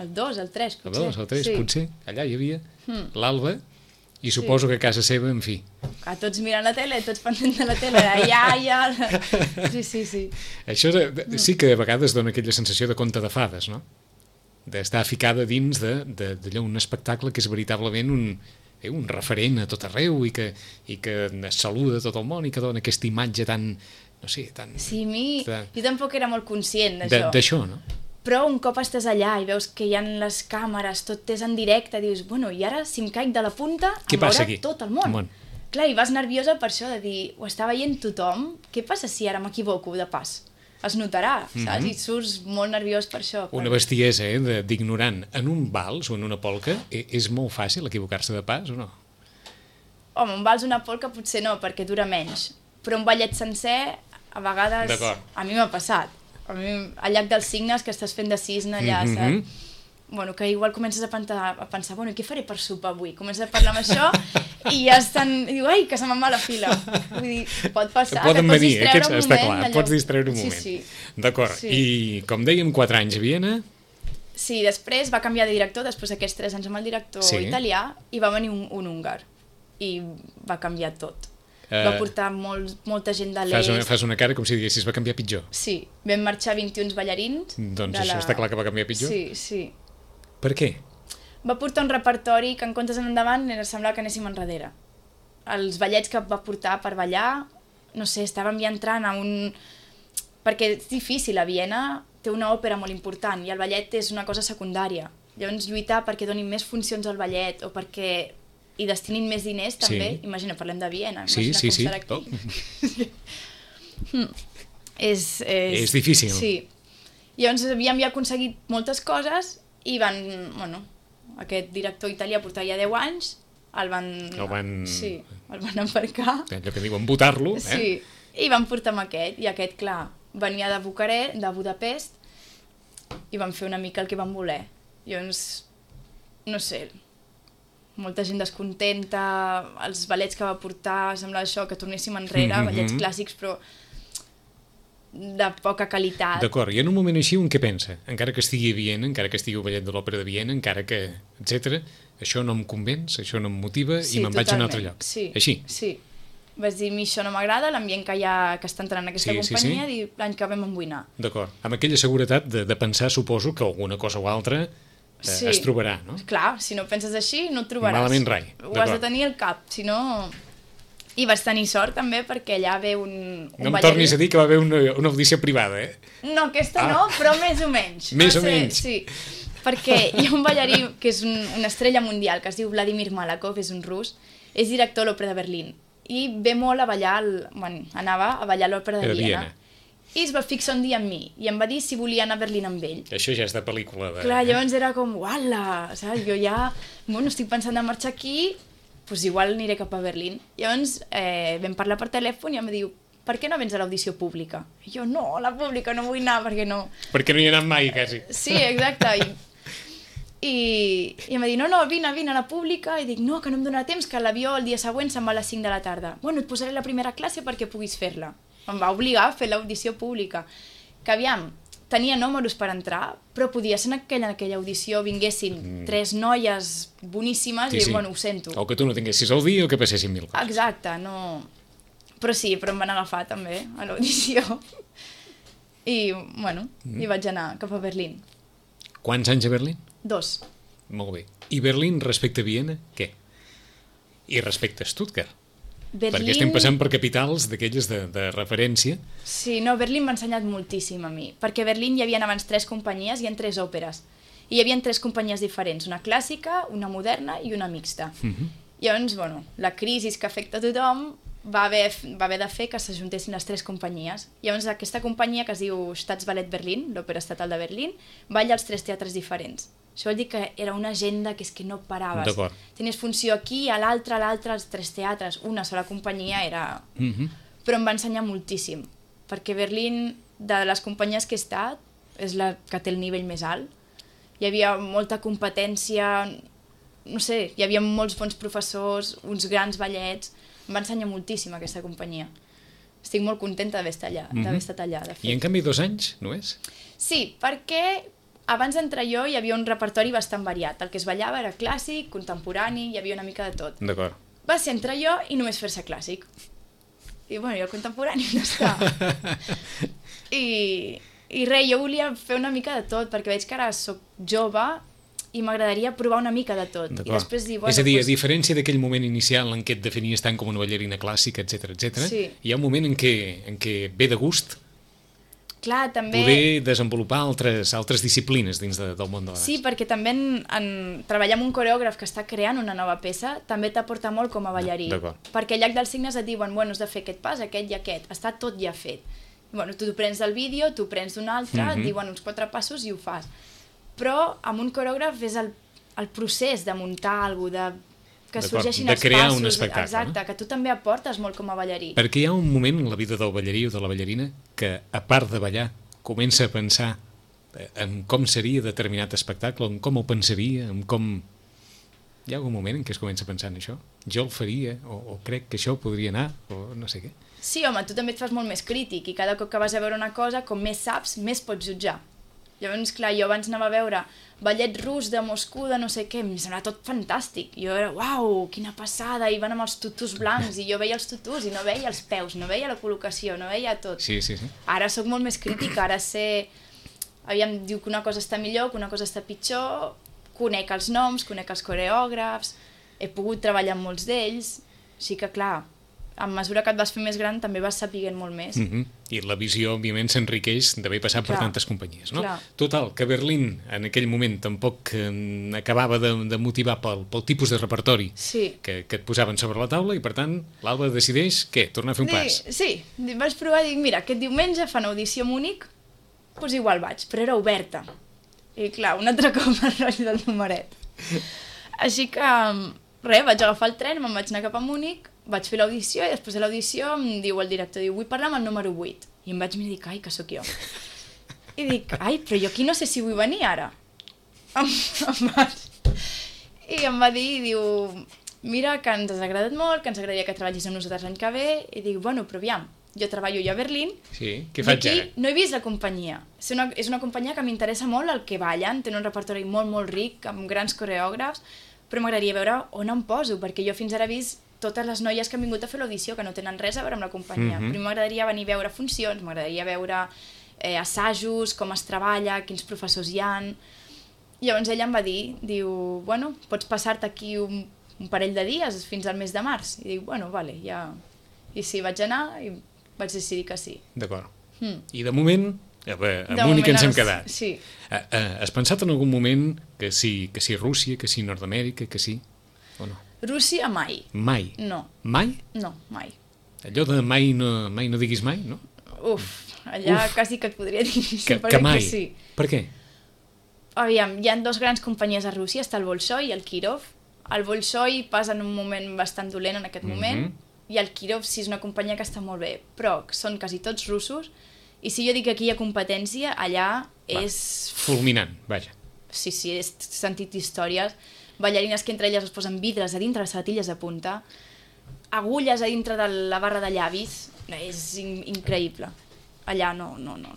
El dos, el tres, potser. El dos, el tres, sí. potser. Allà hi havia hmm. l'Alba i suposo sí. que a casa seva, en fi. Que tots mirant la tele, tots pendents de la tele, ja, ja... Sí, sí, sí. Això sí que a vegades dona aquella sensació de conte de fades, no? D'estar ficada dins d'allò, un espectacle que és veritablement un... Eh, un referent a tot arreu i que, i que saluda tot el món i que dona aquesta imatge tan, no sé, tan... Sí, a mi, de, jo tampoc era molt conscient d'això. D'això, no? Però un cop estàs allà i veus que hi ha les càmeres, tot és en directe, dius, bueno, i ara si em caic de la punta, què em veurà aquí? tot el món. el món. Clar, i vas nerviosa per això, de dir, ho està veient tothom, què passa si ara m'equivoco de pas? Es notarà, saps? Mm-hmm. I surts molt nerviós per això. Per... Una bestiesa, eh, d'ignorant. En un vals o en una polca és molt fàcil equivocar-se de pas o no? Home, un vals o una polca potser no, perquè dura menys. Però un ballet sencer, a vegades, a mi m'ha passat. A mi, al llac dels Cignes, que estàs fent de cisne allà, mm-hmm. saps? Bueno, que igual comences a, pensar, a pensar, bueno, què faré per sopar avui? Comences a parlar amb això i ja estan... I diu, ai, que se me'n va la fila. Vull dir, pot passar, poden que et pots venir, distreure aquests, un està moment. Clar, allò... pots distreure un moment. Sí, sí. D'acord, sí. I com dèiem, quatre anys a Viena... Sí, després va canviar de director, després d'aquests tres anys amb el director sí. italià, i va venir un, un húngar. I va canviar tot. Uh, va portar molt, molta gent de l'est. Fas, una, fas una cara com si diguessis, va canviar pitjor. Sí, vam marxar vint-i-un ballarins. Doncs això la... està clar que va canviar pitjor? Sí, sí. Per què? Va portar un repertori que en comptes endavant era semblar que anéssim enrere. Els ballets que va portar per ballar, no sé, estàvem ja entrant a un... Perquè és difícil, a Viena té una òpera molt important i el ballet és una cosa secundària. Llavors lluitar perquè donin més funcions al ballet o perquè hi destinin més diners també, sí. Imagina, parlem de Viena, imagina sí, sí, com sí. serà aquí. Oh. és, és... és difícil. Sí. Llavors havíem ja aconseguit moltes coses i van, bueno, aquest director italià portava ja deu anys, el van... El van... Sí, el van embarcar. Allò que diuen, votar-lo, eh? Sí, i van portar amb aquest, i aquest, clar, venia de Bucarest, de Budapest, i van fer una mica el que van voler. Llavors, no sé, molta gent descontenta, els ballets que va portar, semblava això, que tornéssim enrere, mm-hmm. ballets clàssics, però de poca qualitat. D'acord, i en un moment així un què pensa? Encara que estigui a Viena, encara que estigui al ballet de l'Òpera de Viena, encara que, etcètera, això no em convenç, això no em motiva sí, i me'n vaig a un altre lloc. Sí, així? Sí, Vaig dir, a mi això no m'agrada, l'ambient que hi ha, que està entrant en aquesta sí, companyia, sí, sí. i l'any que ve m'en vull anar. D'acord. Amb aquella seguretat de, de pensar, suposo, que alguna cosa o altra eh, sí. es trobarà, no? Clar, si no penses així, no et trobaràs. Malament rai. Ho has de tenir al cap, si no... I vaig tenir sort també perquè allà ve un, un no em ballarí. tornis a dir que va haver una, una audició privada, eh? No, aquesta ah. no, però més o menys. Més va o ser, menys. Sí, perquè hi ha un ballarí que és un, una estrella mundial, que es diu Vladimir Malakov, és un rus, és director a l'Òpera de Berlín, i ve molt a ballar, el, bueno, anava a ballar a l'Òpera de Viena. Viena. I es va fixar un dia amb mi, i em va dir si volia anar a Berlín amb ell. Això ja és de pel·lícula. De... Clar, llavors era com, uala, saps? Jo ja, bueno, estic pensant de marxar aquí, doncs igual aniré cap a Berlín. Llavors eh, vam parlar per telèfon i em va dir, per què no vens a l'audició pública? I jo, no, a la pública no vull anar, perquè no... Perquè no hi he anat mai, quasi. Sí, exacte. I, i, i em va dir, no, no, vine, vine a la pública. I dic, no, que no em donarà temps, que l'avió el dia següent se'n va a les cinc de la tarda. Bueno, et posaré la primera classe perquè puguis fer-la. Em va obligar a fer l'audició pública. Que aviam, tenia números per entrar, però podia ser en aquella, en aquella audició vinguessin mm. tres noies boníssimes sí, i, sí. bueno, ho sento. O que tu no tinguessis el dia o que passessin mil coses. Exacte, no... Però sí, però em van agafar també a l'audició. I, bueno, mm. i vaig anar cap a Berlín. Quants anys a Berlín? Dos. Molt bé. I Berlín respecte a Viena, què? I respecte a Stuttgart? Berlín... Perquè estem passant per capitals d'aquelles de, de referència. Sí, no, Berlín m'ha ensenyat moltíssim a mi, perquè a Berlín hi havia abans tres companyies i en tres òperes. I hi havia tres companyies diferents, una clàssica, una moderna i una mixta. Uh -huh. Llavors, bueno, la crisi que afecta a tothom va haver, va haver de fer que s'ajuntessin les tres companyies. Llavors aquesta companyia, que es diu Staatsballett Berlin, l'òpera estatal de Berlín, balla als tres teatres diferents. Això vol dir que era una agenda que és que no paraves. D'acord. Tenies funció aquí, a l'altre, a l'altre, als tres teatres, una sola companyia era... Uh-huh. Però em va ensenyar moltíssim, perquè Berlín, de les companyies que he estat, és la que té el nivell més alt. Hi havia molta competència, no sé, hi havia molts bons professors, uns grans ballets, em va ensenyar moltíssim aquesta companyia. Estic molt contenta d'haver estat allà, uh-huh. d'haver estat allà, de fet. I en canvi dos anys, no és? Sí, perquè... Abans d'entrar jo hi havia un repertori bastant variat. El que es ballava era clàssic, contemporani, hi havia una mica de tot. D'acord. Va ser entrar jo i només fer-se clàssic. I bueno, i el contemporani no està. I, I res, jo volia fer una mica de tot, perquè veig que ara soc jove i m'agradaria provar una mica de tot. I després dir, bueno, és a dir, pues... a diferència d'aquell moment inicial en què et definies tant com una ballarina clàssica, etcètera, etcètera, sí. hi ha un moment en què, en què ve de gust Clar, també... poder desenvolupar altres, altres disciplines dins de, del món de la dansa. Sí, perquè també en, en treballar amb un coreògraf que està creant una nova peça també t'aporta molt com a ballarí. Perquè al llac dels signes et diuen, bueno, has de fer aquest pas, aquest i aquest. Està tot ja fet. Bueno, tu t'ho prens del vídeo, tu prens d'un altre, mm-hmm. et diuen uns quatre passos i ho fas. Però amb un coreògraf és el, el procés de muntar alguna cosa, de... que sorgeixin els passos. De crear un espectacle. Exacte, no? Que tu també aportes molt com a ballarí. Perquè hi ha un moment en la vida del ballarí o de la ballarina que, a part de ballar, comença a pensar en com seria determinat espectacle, en com ho pensaria, en com... Hi ha algun moment en què es comença a pensar en això? Jo el faria, o, o crec que això podria anar, o no sé què. Sí, home, tu també et fas molt més crític i cada cop que vas a veure una cosa, com més saps, més pots jutjar. Llavors, clar, jo abans anava a veure ballet rus de Moscou, de no sé què, em semblava tot fantàstic. Jo era, uau, quina passada, i van amb els tutus blancs, i jo veia els tutus i no veia els peus, no veia la col·locació, no veia tot. Sí, sí, sí. Ara sóc molt més crítica, ara sé... Aviam, diu que una cosa està millor, que una cosa està pitjor, conec els noms, conec els coreògrafs, he pogut treballar amb molts d'ells, així que, clar, a mesura que et vas fer més gran també vas sapiguent molt més. Mm-hmm. I la visió, òbviament, s'enriqueix d'haver passat clar, per tantes companyies, no? Clar. Total, que Berlín en aquell moment tampoc eh, acabava de, de motivar pel, pel tipus de repertori sí. que, que et posaven sobre la taula i, per tant, l'Alba decideix, què, tornar a fer un Dic, pas? Sí, vaig provar i dic, mira, aquest diumenge fan audició a Múnich, doncs igual vaig, però era oberta. I clar, un altre cop el rotllo del numeret. Així que, res, vaig agafar el tren, me'n vaig anar cap a Múnich, vaig fer l'audició i després de l'audició em diu el director, diu, vull parlar amb el número vuit. I em vaig mirar i dic, ai, que sóc jo. I dic, ai, però jo aquí no sé si vull venir ara. Em, em vaig... I em va dir, diu, mira, que ens has agradat molt, que ens agradaria que treballis amb nosaltres l'any que ve. I dic, bueno, però aviam, jo treballo jo a Berlín, sí, què faig aquí ara? No he vist la companyia. És una, és una companyia que m'interessa molt el que ballen, tenen un repertori molt, molt ric, amb grans coreògrafs, però m'agradaria veure on em poso, perquè jo fins ara he vist totes les noies que han vingut a fer l'audició, que no tenen res a veure amb la companyia. Mm-hmm. Primer m'agradaria venir a veure funcions, m'agradaria veure eh, assajos, com es treballa, quins professors hi han. Llavors ella em va dir, diu, bueno, pots passar-te aquí un, un parell de dies fins al mes de març. I dic, bueno, vale, ja... I sí, vaig anar i vaig decidir que sí. D'acord. Mm. I de moment, amunt i que ens hem quedat. Sí. Uh, uh, has pensat en algun moment que sí, que sí Rússia, que sí Nord-Amèrica, que sí o no? Rússia mai. Mai? No. Mai? No, mai. Allò de mai no, mai no diguis mai, no? Uf, allà Uf. quasi que et podria dir que, que mai? Que sí. Per què? Aviam, hi ha dos grans companyies a Rússia, està el Bolshoi i el Kirov. El Bolshoi passa en un moment bastant dolent en aquest moment, mm-hmm. i el Kirov sí és una companyia que està molt bé, però són quasi tots russos, i si jo dic que aquí hi ha competència, allà Va. és... Fulminant, vaja. Sí, sí, he sentit històries, ballarines que entre elles es posen vidres a dintre les sabatilles de punta, agulles a dintre de la barra de llavis, és in increïble. Allà no, no, no.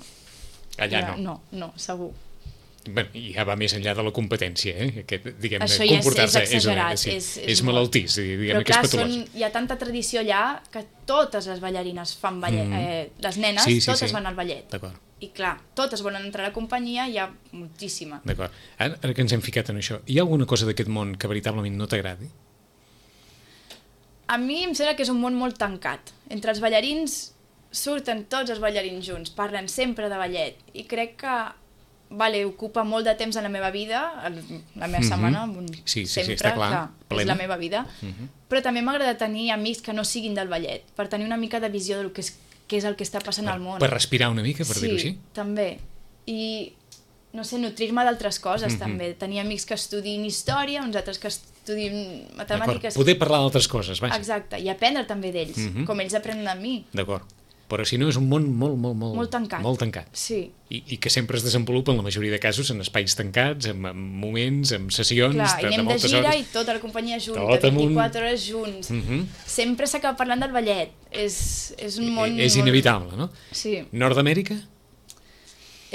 Allà no? No, no, segur. Bé, ja va més enllà de la competència, eh? Aquest, diguem, això ja és, és exagerat. És, una, és, és, és malaltís, diguem, però clar, que és patològic. Són, hi ha tanta tradició allà que totes les ballarines fan ballet. Mm. Eh, les nenes, sí, sí, totes sí. van al ballet. D'acord. I clar, totes volen entrar a la companyia, hi ha moltíssima. D'acord. Ara, ara que ens hem ficat en això, hi ha alguna cosa d'aquest món que veritablement no t'agradi? A mi em sembla que és un món molt tancat. Entre els ballarins surten tots els ballarins junts, parlen sempre de ballet, i crec que vale, ocupa molt de temps en la meva vida, el, la meva mm-hmm. setmana, sí, sí, sempre, sí, està clar, que és la meva vida, mm-hmm. però també m'agrada tenir amics que no siguin del ballet, per tenir una mica de visió del que és, què és el que està passant per, al món. Per respirar una mica, per sí, dir-ho així? Sí, també. I, no sé, nutrir-me d'altres coses, mm-hmm. també. Tenir amics que estudin història, uns altres que estudin matemàtiques. Poder parlar d'altres coses, vaja. Exacte, i aprendre també d'ells, mm-hmm. com ells aprenen de mi. D'acord. Però si no és un món molt, molt, molt... Molt tancat. Molt tancat. Sí. I, I que sempre es desenvolupa, en la majoria de casos, en espais tancats, en, en moments, en sessions... Clar, de, i anem de, de gira hores. I tota la companyia junta, tot vint-i-quatre amunt. Hores junts. Mm-hmm. Sempre s'acaba parlant del ballet. És, és un món... I, és inevitable, molt... no? Sí. Nord-Amèrica?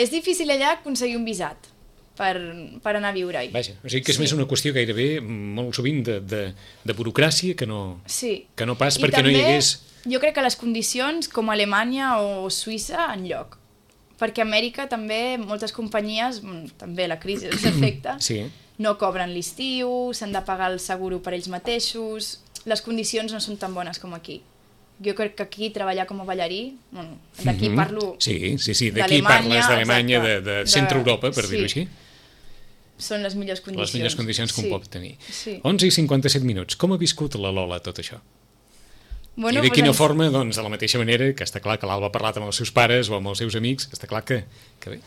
És difícil allà aconseguir un visat per, per anar a viure-hi. Vaja, o sigui que és sí. més una qüestió gairebé molt sovint de, de, de burocràcia que no, sí. que no pas I perquè també, no hi hagués... Jo crec que les condicions, com Alemanya o Suïssa, en lloc. Perquè a Amèrica també moltes companyies, també la crisi els afecta, sí. no cobren l'estiu, s'han de pagar el seguro per ells mateixos, les condicions no són tan bones com aquí. Jo crec que aquí treballar com a ballarí, bueno, d'aquí mm-hmm. parlo sí, sí, sí, d'aquí parles d'Alemanya, de, de centre-Europa, per sí. dir-ho així. Són les millors condicions. Les millors condicions que sí. un pot tenir. Sí. onze i cinquanta-set minuts. Com ha viscut la Lola tot això? Bueno, I de quina pues, forma, doncs, de la mateixa manera que està clar que l'Alba ha parlat amb els seus pares o amb els seus amics, està clar que, que bé,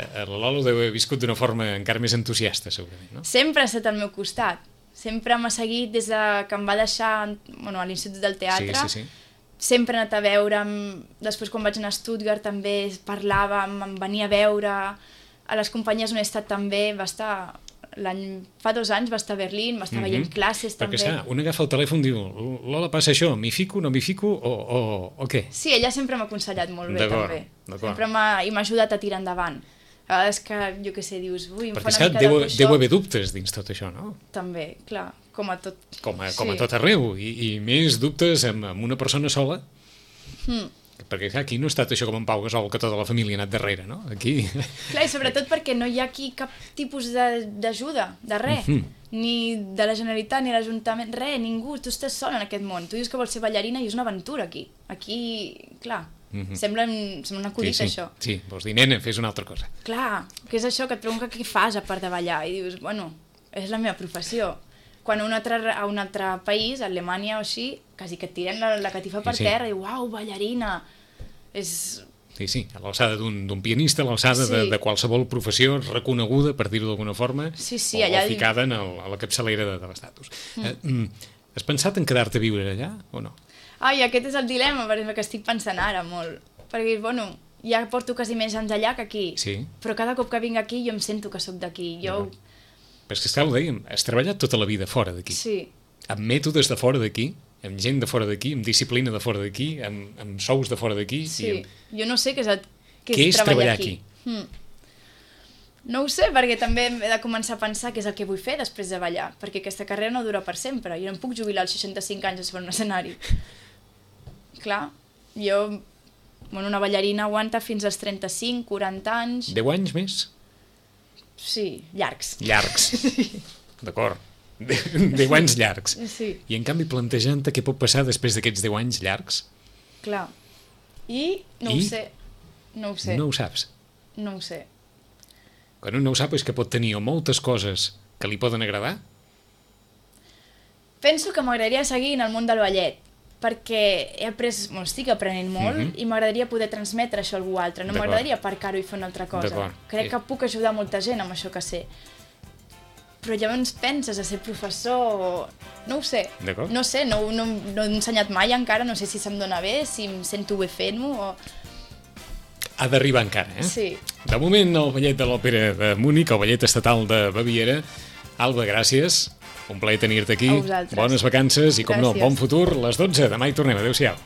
la Lola ho deu haver viscut d'una forma encara més entusiasta, segurament, no? Sempre ha estat al meu costat. Sempre m'ha seguit des de que em va deixar bueno, a l'Institut del Teatre. Sí, sí, sí. Sempre ha anat a veure'm. Després, quan vaig anar a Stuttgart, també parlàvem, em venia a veure. A les companyies on he estat també va estar... Fa dos anys va estar a Berlín, va estar mm-hmm. veient classes Perquè, també. Perquè, un agafa el telèfon i diu Lola, passa això, m'hi fico, no m'hi fico o, o, o què? Sí, ella sempre m'ha aconsellat molt bé, també. Sempre m'ha ajudat a tirar endavant. A vegades que, jo què sé, dius, ui, em perquè, fa una mica deu, de coixó. Deu haver dubtes dins tot això, no? També, clar, com a tot. Com a, com a tot arreu, i, i més dubtes amb, amb una persona sola. Mm. Perquè clar, aquí no ha estat això com en Pau Gasol, que tota la família ha anat darrere, no? Aquí... Clar, i sobretot perquè no hi ha aquí cap tipus d'ajuda, de, de res. Mm-hmm. Ni de la Generalitat, ni l'Ajuntament, res, ningú. Tu estàs sol en aquest món. Tu dius que vols ser ballarina i és una aventura aquí. Aquí, clar, mm-hmm. sembla, sembla un acudit, sí, sí. això. Sí, vols dir, nena, fes una altra cosa. Clar, que és això, que et pregunta què fas a part de ballar. I dius, bueno, és la meva professió. Quan a un altre, a un altre país, a Alemanya o així, quasi que et tiren la, la catifa per sí, sí. terra i uau, ballarina. És... Sí, sí, a l'alçada d'un pianista, a l'alçada sí. de, de qualsevol professió reconeguda, per dir-ho d'alguna forma, sí, sí, o, allà... o ficada en el, a la capçalera de, de l'estatus. Mm. Eh, has pensat en quedar-te a viure allà o no? Ai, aquest és el dilema, perquè que estic pensant ara molt. Perquè, bueno, ja porto quasi més anys allà que aquí, sí. però cada cop que vinc aquí jo em sento que sóc d'aquí. Jo... No. Però és que, esclar, ho dèiem, has treballat tota la vida fora d'aquí. Sí. Amb mètodes de fora d'aquí, amb gent de fora d'aquí, amb disciplina de fora d'aquí, amb, amb sous de fora d'aquí. Sí, amb... jo no sé què és, el, què què és, és treballar, treballar aquí. aquí. Hmm. No ho sé, perquè també he de començar a pensar què és el que vull fer després de ballar, perquè aquesta carrera no dura per sempre. Jo no em puc jubilar als seixanta-cinc anys sobre un escenari. Clar, jo... Bueno, una ballarina aguanta fins als trenta-cinc, quaranta anys... deu anys més? Sí, llargs. Llargs, d'acord. deu anys llargs. Sí. I en canvi plantejant-te què pot passar després d'aquests deu anys llargs? Clar. I no I? ho sé. No ho sé. No ho saps. No ho sé. Quan un no ho sap és que pot tenir o moltes coses que li poden agradar. Penso que m'agradaria seguir en el món del ballet, perquè he après, bueno, estic aprenent molt mm -hmm. i m'agradaria poder transmetre això a algú altre. No m'agradaria aparcar-ho i fer una altra cosa. Crec sí. que puc ajudar molta gent amb això que sé. Però llavors penses a ser professor... No ho sé. No sé, no, no, no he ensenyat mai encara, no sé si se'm dona bé, si em sento bé fent-ho o... Ha d'arribar encara, eh? Sí. De moment, el ballet de l'Òpera de Múnich, el ballet estatal de Baviera. Alba, gràcies. Un plaer tenir-te aquí. A vosaltres. Bones vacances i, com no, bon futur. Les dotze. Demà hi tornem. Adéu-siau.